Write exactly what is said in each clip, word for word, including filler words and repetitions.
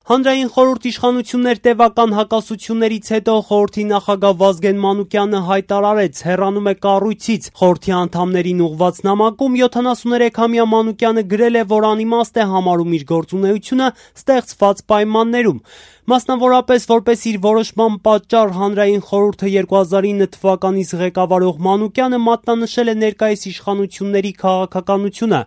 Հանրային խորհուրդ իշխանություններ տևական հակասություններից հետո խորհրդի նախագահ Վազգեն Մանուկյանը հայտարարեց, հեռանում է կառույցից։ Խորհրդի անդամներին ուղղված նամակում յոթանասուներեքամյա Մանուկյանը գրել է, որ անիմաստ է համարում իր գործունեությունը ստեղծված պայմաններում։ Մասնավորապես, որպես իր որոշման պատճառ հանրային խորհուրդը երկու հազար ինը թվականից ղեկավարող Մանուկյանը մատնանշել է ներկայիս իշխանությունների քաղաքականությունը։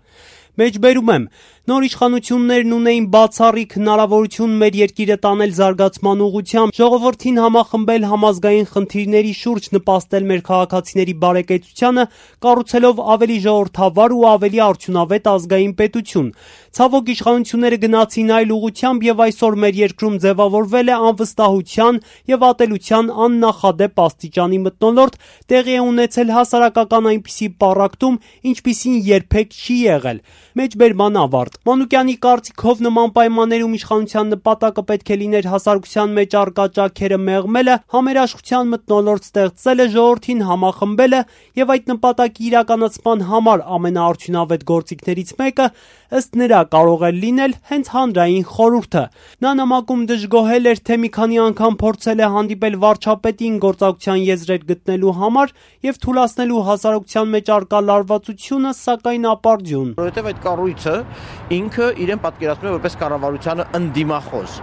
Մեջբերում եմ, նոր իշխանություններն ունեին բացառիկ հնարավորություն մեր երկիրը տանել զարգացման ուղղությամբ, ժողովրդին համախմբել համազգային խնդիրների շուրջ, նպաստել մեր քաղաքացիների բարեկեցությանը, կառուցելով ավելի ժողովրդավար ու ավելի արդյունավետ ազգային պետություն։ Ցավոք, իշխանությունները գնացին այլ ուղղությամբ եւ այսօր մեր երկրում ձևավորվել է անվստահության եւ ատելության աննախադեպ աստիճանի մթնոլորտ, տեղի է ունեցել հասարակական այնպիսի պառակտում, ինչպիսին երբեք չի եղել։ Մեջբերման ավարտ։ Մանուկյանի կարծիքով նման պայմաններում իշխանության նպատակը պետք է լիներ հասարակության մեջ առկա ճաքերը մեղմելը, համերաշխության մթնոլորտ ստեղծելը, ժողովրդին համախմբելը եւ այդ նպատակի իրականացման համար ամենաարդյունավետ գործիքներից մեկը ըստ նրա կարող է լինել հենց հանրային խորհուրդը։ Նա նամակում դժգոհել էր, թե մի քանի անգամ փորձել է հանդիպել վարչապետին գործակցության եզրեր գտնելու համար եւ թույլատնելու հասարակության մեջ առկա լարվածությունը, սակայն ապարդյուն։ Որովհետեւ այդ կառույցը ինքը իրեն պատկերացնում է որպես կառավարությանը ընդդիմախոս։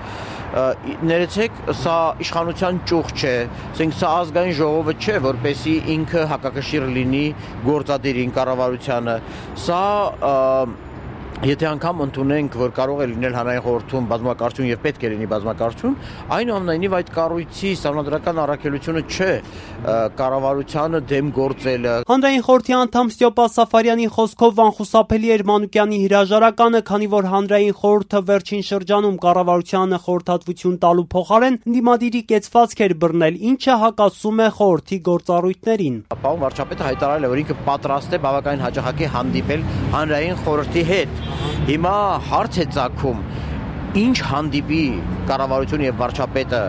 Ներեցեք, սա իշխանության ճյուղ չէ, ասենք սա ազգային ժողովը չէ, որպեսի ինքը հակակշիռ լինի գործադիրին կառավարությանը։ Սա Եթե անգամ ընդունենք, որ կարող է լինել հանրային խորհրդում բազմակարծություն եւ պետք է լինի բազմակարծություն, այնուամենայնիվ այդ կառույցի սահմանադրական առաքելությունը չէ կառավարությանը դեմ գործելը։ Հանրային խորհրդի անդամ Ստյոպա Սաֆարյանի խոսքով անխուսափելի էր Մանուկյանի հրաժարականը, քանի որ հանրային խորհուրդը վերջին շրջանում կառավարությանը խորհրդատվություն տալու փոխարեն ընդդիմադիրի կեցվածք էր բռնել, ինչը հակասում է խորհրդի գործառույթներին։ Պարոն վարչապետը հայտարարել է, որ ինքը պատրաստ է բավականին հաճախակի հանդիպել հանրային խորհրդի հետ։ Հիմա հարց է ծագում, ինչ հանդիպի կառավարությունը եւ վարչապետը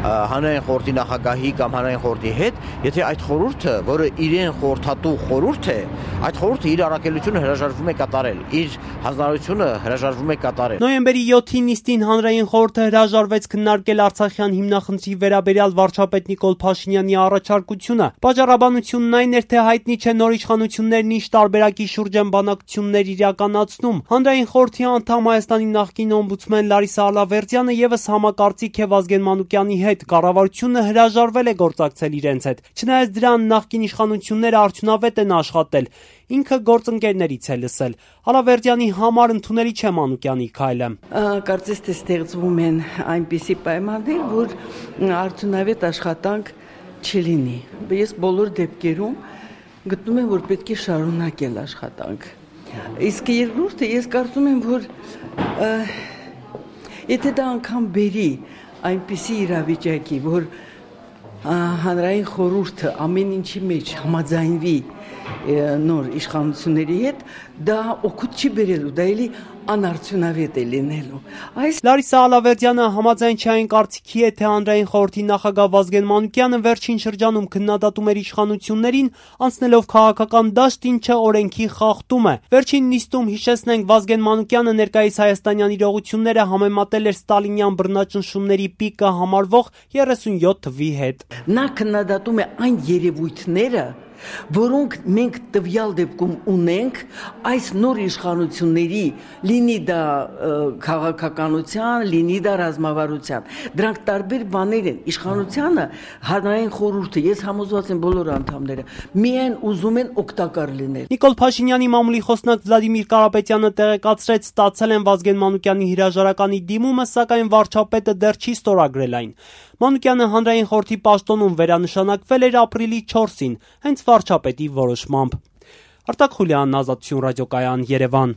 հանրային խորհրդի նախագահի կամ հանրային խորհրդի հետ, եթե այդ խորհուրդը, որը իրեն խորհրդատու խորհուրդ է, այդ խորհուրդը իր առաքելությունը հրաժարվում է կատարել, իր հանձնարարությունը հրաժարվում է կատարել։ Նոյեմբերի յոթի նիստին հանրային խորհուրդը հրաժարվեց քննարկել Արցախյան հիմնախնդրի վերաբերյալ վարչապետ Նիկոլ Փաշինյանի առաջարկությունը։ Պատճառաբանությունն այն էր, թե հայտնի չէ նոր իշխանություններն ինչ տարբերակի շուրջ են բանակցություններ իրականացնում։ Հանրային խորհրդի անդամ Հայաստանի նախկին օմբուդսմեն Լարիսա Ալավերդյանը եւս համակարծիք է Վազգեն Մանուկյանի հետ, կառավարությունը հրաժարվել է գործակցել իրենց հետ։ Չնայած դրան նախկին իշխանությունները արդյունավետ են աշխատել, ինքը գործընկերներից է լսել։ Ալավերդյանի համար ընդունելի չէ Մանուկյանի քայլը։ Կարծես թե ստեղծվում են այնպիսի պայմաններ, որ արդյունավետ աշխատանք չլինի։ Ես բոլոր դեպքերում գտնում եմ, որ պետք է շարունակել աշխատանք։ Իսկ երկրորդը ես կարծում եմ, որ եթե դա անգամ բերի այնպիսի իրավիճակի, որ հանրային խորհուրդը ամեն ինչի մեջ համաձայնվի նոր իշխանությունների հետ, դա օգուտ չի բերելու, դա էլի անարդյունավետ է լինելու։ Այս Լարիսա Ալավերդյանը համաձայն չէ այն կարծիքի է, թե հանրային խորհրդի նախագահ Վազգեն Մանուկյանը վերջին շրջանում քննադատում էր իշխանություններին, անցնելով քաղաքական դաշտ, ինչը օրենքի խախտում է։ Վերջին նիստում, հիշեցնենք, Վազգեն Մանուկյանը ներկայիս հայաստանյան իրողությունները համեմատել էր ստալինյան բռնաճնշումների պիկը համարվող երեսունյոթ թվի հետ։ Նա քննադատում է այն երևույթները, որոնք մենք տվյալ դեպքում ունենք այս նոր իշխանությունների, լինի դա քաղաքականության, լինի դա ռազմավարության։ Դրանք տարբեր բաներ են։ Իշխանությանը հանրային խորհուրդը, ես համոզված եմ բոլոր անդամները, միայն ուզում են օգտակար լինել։ Նիկոլ Փաշինյանի մամուլի խոսնակ Վլադիմիր Կարապետյանը տեղեկացրեց, ստացել են Վազգեն Մանուկյանի հրաժարականի դիմումը, սակայն վարչապետը դեռ չի ստորագրել այն։ Մանուկյանը հանրային խորհրդի պաշտոնում վերանշանակվել էր ապրիլի չորսին, հենց վարչապետի որոշմամբ։ Արտակ Խուլյանն, Ազատություն ռադիոկայան, Երևան։